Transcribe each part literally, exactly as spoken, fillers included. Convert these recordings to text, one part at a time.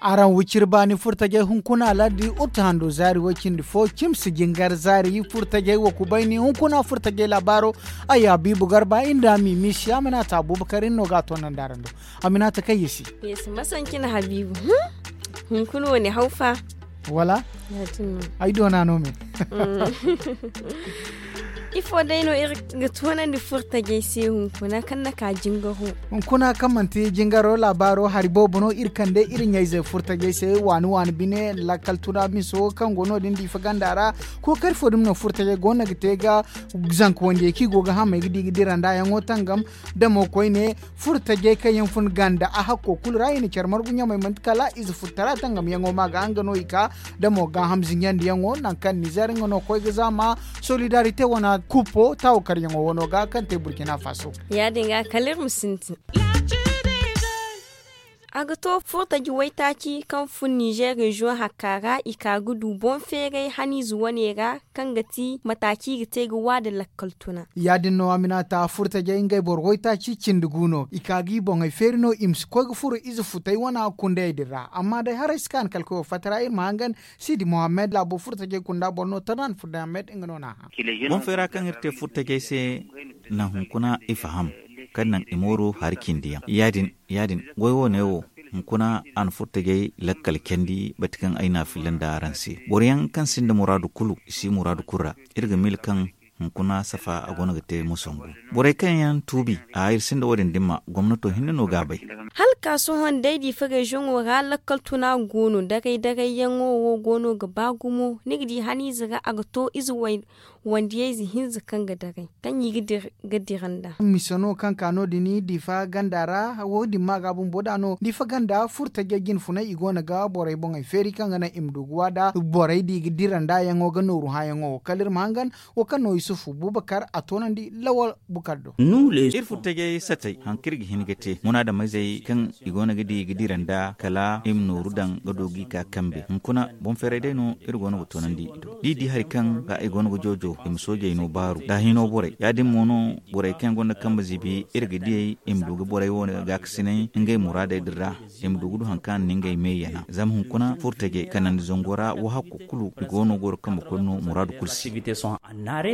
Araŋ wiciri baani furtajey hunkuna lardi utu hando zaari way cindi fo cimsi jingar zaari furtajey wa kubayni hunkuna furtajey laabaaro. Ay habiibu garba inda mimisi aminata abubakar iri no ga a toonandi araŋ do. Aminata kaŋ yesi. Yesi masancina habiibu. Hunkuna wane hawfa wala? Ay doona no me. Ifo day no iri ga toonandi furtajey se hunkuna kaŋ na ka jingaro? Hunkuna kaŋ manti jingaro laabaaro hari boobo no iri kande iri ɲayzey furtajey se waani waani bine lakkal tuna miso kaŋ go no din diifa ganda ra. Kookari fo dumi no furtajey go no ga te ga zanka wandiyey kaŋ i go ga hamey ga di ga dira nda yaŋo tangam. Damo koyne furtajey kaŋ yaŋ fun ganda a hakko kulu ra i na care margu ɲamey manti kala ize futtara tangamyaŋo ma ga nga no i ka. Damo gaaham zinjandiyaŋo nangu kaŋ nizer nga no koy ga zaama solidarite wana kupo taawo karyaŋo wano ga kaŋ te burkina faso. Ya- din ga kala iri ma sintin. A ga to furtaji waytaaci kaŋ fun nizer reziyoŋ hakka ra i ka ga du boŋ feeray haniize wane ra kaŋ ga ti mataaci i ga te ga waada lakkal tuna. Ya- din no aminata furtajey ngey boro waytaaci cindi gu no i ka ga i boŋey feeri no i ma si koy ga furo ize futay wana kundayey din ra amma day haray si kaani kala koy wo fatta ra iri ma hangan. Sidi mohammed laabo furtajey kunda boro no tanaan furday ahmed nga no na a hã. Boŋ feera kaŋ iri te furtajey se naŋ hunkuna i faham kaŋ naŋ i mooru hari cindi yaŋ ya- din goy wo ne wo. Hunkuna a na furtajey lakkal candi bati kaŋ ay na a filla nda araŋ se boro yaŋ kaŋ sinda muraadu kulu i si muraadu kulu ra. Iri ga miila kaŋ hunkuna safa a go no ga te musangu. Borey kaŋ yaŋ tuubi a iri sinda wo- din dimma gomnato hinne no ga a bay. Hala ka sohõ day diifa reziyoŋo ra lakkal tuna go no daray daray yaŋo wo go no ga ba gumo ni ga di haniize ra a ga to ize wandiyayze hinza kaŋ ga daray kaŋ i ga dira nda. Mise no kaŋ ka no- din diifa ganda ra wo- din ma ga bumbo da no diifa ganda furtajey jinfunay i go no ga borey boŋey feeri kaŋ ga naŋ i ma du ga waada borey da i ga dira nda yaŋo ga nooru hãyaŋo wo kala iri ma hangan. Wo kaŋ no yusufu bubakar a toonandi lawal bukar do. Iri furtajey satey haŋ kaŋ iri ga hin ga te munaadamizey kaŋ i go no ga di ga dira nda kala i ma nooru daŋ ga du ga i ka kambe hunkuna boŋ feeray day no iri go no ga toonandi i do da i di hari kaŋ ga i go no ga joojo i ma soojey no baaru da hino borey ya- din mo no borey kaŋ yaŋ gonda kambe ziibi iri ga diyey i ma du ga borey wo gaakasinay ngey muraadey din ra. I ma du ga du hari kaŋ a na ngey me yana zama hunkuna furtajey kanandi zango ra wo hakko kulu i go no goro kambe koy no muraadu kulu se.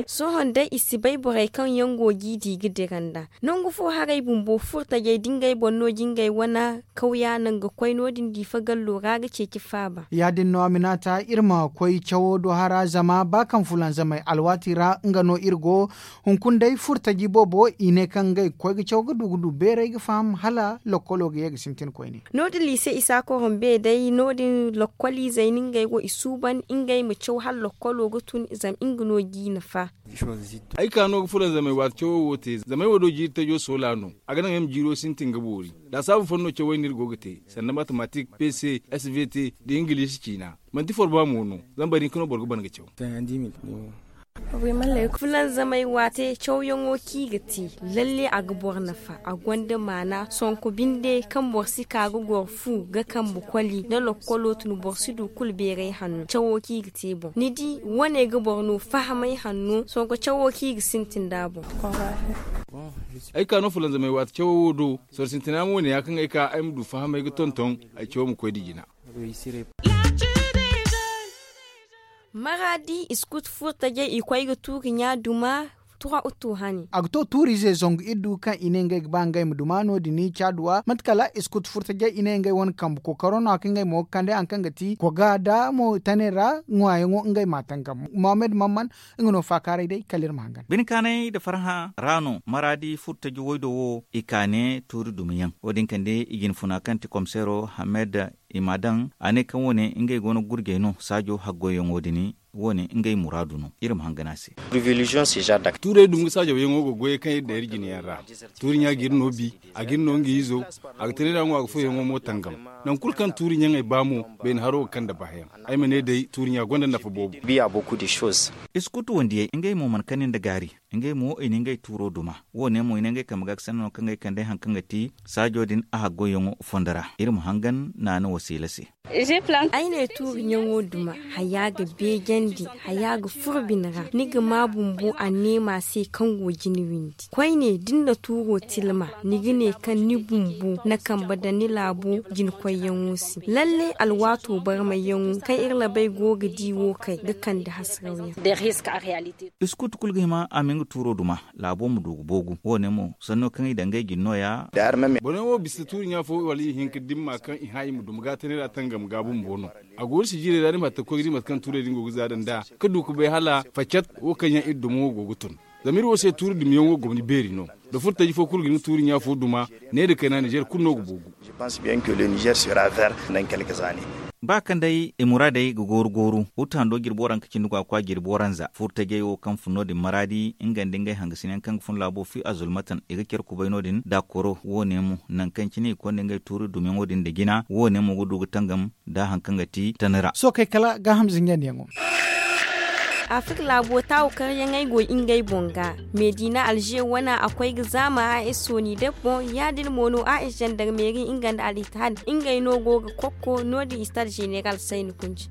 Sohõ day i si bay borey kaŋ yaŋ go ga i di ga dira nda nangu fo haray bumbo furtajey da ngey boŋ no jingey wane kawya naŋ ga koy no- din diifa gallo ra ga ceeci faaba. Ya- din no aminata iri ma koy cawo do hara zama ba kaŋ fulanzamey alwaati ra nga no iri go. Hunkuna day furtaji boobo i ne kaŋ ngey ga koy ga caw ga du ga du beeray ga faham hala lokkolo ga ye ga sintin koyne. No- din liise isa korombe day no- din lokkoliizey no ngey wo i suuban ngey ma caw hala lokkolo ga tun zama nga no g'i nafa. Ay ka no ga fulanzamey waati cawo wo te zama ay wo do jiiri tajo soola no. A ga naŋ ay ma jiiro sintin ga boori. Laasaabu fooyaŋ no cawey no iri go ga te sanda matematik pc, svt, nda ingiliisi ciina. Manti forba mo no. Zama bari hinka no boro ga ban ga caw. Fulanzamey waate cawyaŋo kaŋ i ga te lalle a ga boro nafa a gonda maana sonko binde kaŋ boro si ka ga goro fu ga kambe koli nda lokkolo tun boro si du kulu beeray hanno cawo kaŋ i ga te boŋ ni di wane ga boro no fahamay hanno sonko cawo kaŋ i ga sintin nd'a boŋ. Ay ka no fulanzamey waate cawo wo do. Soro sintina mo ne ya kaŋ ay ka ay ma du fahamay ga tonton ay cawo ma koy nda jina. Maraadi i si kutu furtajey i koy ga tuuri ɲa duma. Tura utu hane. A ga to tuuriize zangu iddu kaŋ i ne ngey ga ba ngey ma duma no- din caduwa mate kala i si kutu furtajey i ne ngey wane kambe kookaro no a kaŋ ngey mo ga kande hari kaŋ ga ti koga nda mo tane ra ŋwaayaŋo ngey ma a tangam mohammed mamman. Nga no faakaaray day kala iri ma hangan. Bine kaanay nda farhã ra no maraadi furtaji waydo wo i ka ne tuuri dumiyaŋ wo- din kande i jinfuna kaŋ ti komiseero hamed i m'a daŋ a ne kaŋ wo- ne ngey go no ga gurjey no saajo haggoyyaŋo din. Wo- ne ngey muraadu no iri ma hangan a se. Tuurey dumi ga saajawyaŋo ga goyey kaŋ iri daŋ iri jine yaŋ ra. Tuuri ɲa ga iri no bi a ga iri no nga izo. a ga tira iri a ŋwa ga foyaŋo mo tangam. Nangu kulu kaŋ tuuri ɲaŋey ba mo, bayna haro ga kande bahayaŋ. Ay ma ne day tuuri ɲa gonda nafa boobo. Iskutu wandiyey ngey mo mana kani nda gaari. Ngey mo i na ngey tuuro duma. Wo- ne mo i ne ngey kambe ga ga sanno kaŋ ga ay kande hari kaŋ ga ti saajo din a haggoyyaŋo fondo ra. Iri ma hangan naana wasiila se. Ay ne tuuri ɲaŋo duma, haya ga beejandi, haya ga furo bine ra. Ni ga ma bumbo a neema se kaŋ go jine windi. Koyne da ni na tuuro tilma, ni ga ne kaŋ ni bumbo na kambe daŋ ni laabo jina koyyaŋo se. Lalle alwaato barmayyaŋo kaŋ iri labey go ga di wo kay ga kande hasarawyaŋ. Iskutu kulu ga hima a ma nga tuuro duma, laabo ma du ga boogu. Wo- ne mo sanno kaŋ i daŋ ngey jine no- ya. Boro yaŋ wo bisa tuuri ɲa fo wala i hin ga dimma kaŋ i hã i ma duma ga tana ra tangam ga bumbo no. A go ni si jiirey ra ni ma hatta ga koy ga di mate kaŋ tuurey din go ga zaada nd'a, ga du ga bay hala faccat wo kaŋ yaŋ iri duma wo go ga tun. Zama iri wo se tuuri dumiyaŋ wo gomni beeri no. Da furtaji fo kulu ga ni tuuri ɲa fo duma, ne nda kayna nizer kulu no ga boogu. Ba kaŋ day i muraadey ga gooru gooru, hutu hando jirbi waranka cindi go a kwa jirbi waranza furtajey wo kaŋ fun no- din maraadi nga nda ngey hangasinayaŋ kaŋ ga fun laabo fi a zulmatan i ga care kubay no- din da koro wo- ne mo nangu kaŋ cine i konda ngey tuuri dumiyaŋo din nda jina wo- ne mo ga du ga tangam nda hari kaŋ ga ti tana ra. Sohõ kay kala gaaham zinjandiyaŋo. Afrik laabo taawu karyaŋey go ngey boŋ ga. Meediina alze wane a koy ga zaama a s sooni deb boŋ ya- din mo no a s zandarmeeri nga nda al ittihad ngey no go ga kokko no- din istad zeneral sayni kunci.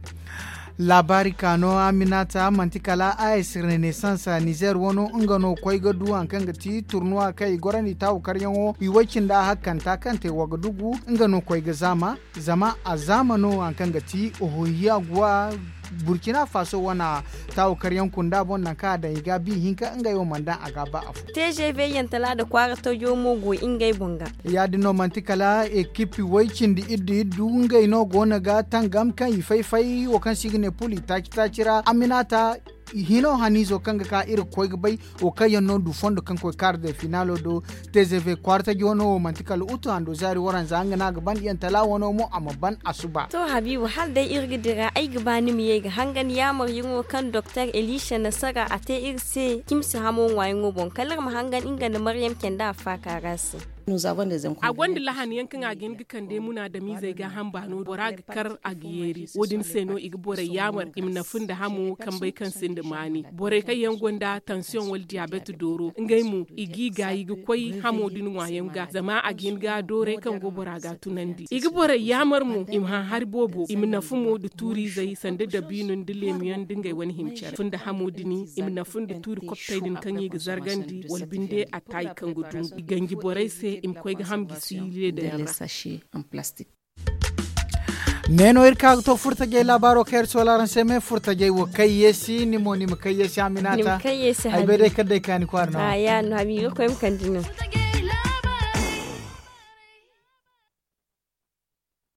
Laabaari ka no aminata manti kala a s renaissance nizer wano nga no koy ga du hari kaŋ ga ti turnuwa kaŋ i gorandi taawu karyaŋo i way cindi a hakkanta kaŋ te wagadugu nga no koy ga zaama. Zama a zaama no hari kaŋ ga ti ohohiya guwa burkina faso wane taawu karyaŋ kunda boŋ nangu kaŋ a daŋ i ga bi hinka ngey wo mana daŋ a ga ba afo. Te ze ve yantala nda kwaara tajo mo go ngey boŋ ga. Ya- din no manti kala ekipi way cindi iddu iddu ngey no go no ga tangam kaŋ i fay fay wo kaŋ se i ga ne pul i taaci taaci ra aminata hino haniizo kaŋ ga ka iri ga koy ga bay wo kaŋ yaŋ no du fondo kaŋ koy kaara day finaalo do. Te ze ve kwaara taji wano wo manti kala utu hando zaari waranza nga no a ga ban yantala wano mo a ma ban a suba. To habiibu hala day iri ga dira ay ga ba ni ma ye ga hangan yaamar yaŋo kaŋ doktor elisa nasara a te iri se cimsi hamo ŋwaayaŋo boŋ kala iri ma hangan nga nda maryam canda a faaka ra se. A gonda lahaniyaŋ kaŋ a ga hin ga kande munaadamizey ga hamba no bora ga kar a ga yeeri wo- din se no i ga borey yaamar i ma nafu nda hamo kambey kaŋ sinda maani borey kaŋ yaŋ gonda tansiyoŋ wala diyabet dooro ngey mo i g'i gaayi ga koy hamo din ŋwaayaŋ ga zama a ga hin ga dooray kaŋ go bora ga tunandi i ga borey yaamar mo i ma hã hari boobo i ma nafu mo nda tuurizey sanda dabiino nda leemiyaŋ nda ngey wane hima care funda hamo din i ma nafu nda tuuri koptey din kaŋ i ga zargandi wala binde a taayi kaŋ ga dungu i ganji borey se i ma koy ga ham gisi leedey ra. Ne no iri ka ga to furtajey laabaaro kaŋ iri soola araŋ se me furtajey wo kay yeesi ni mo ni ma kay yeesi aminata. Ay bay day kala day kaani kwaara no. Aya no habiibi ga koy ma kande no.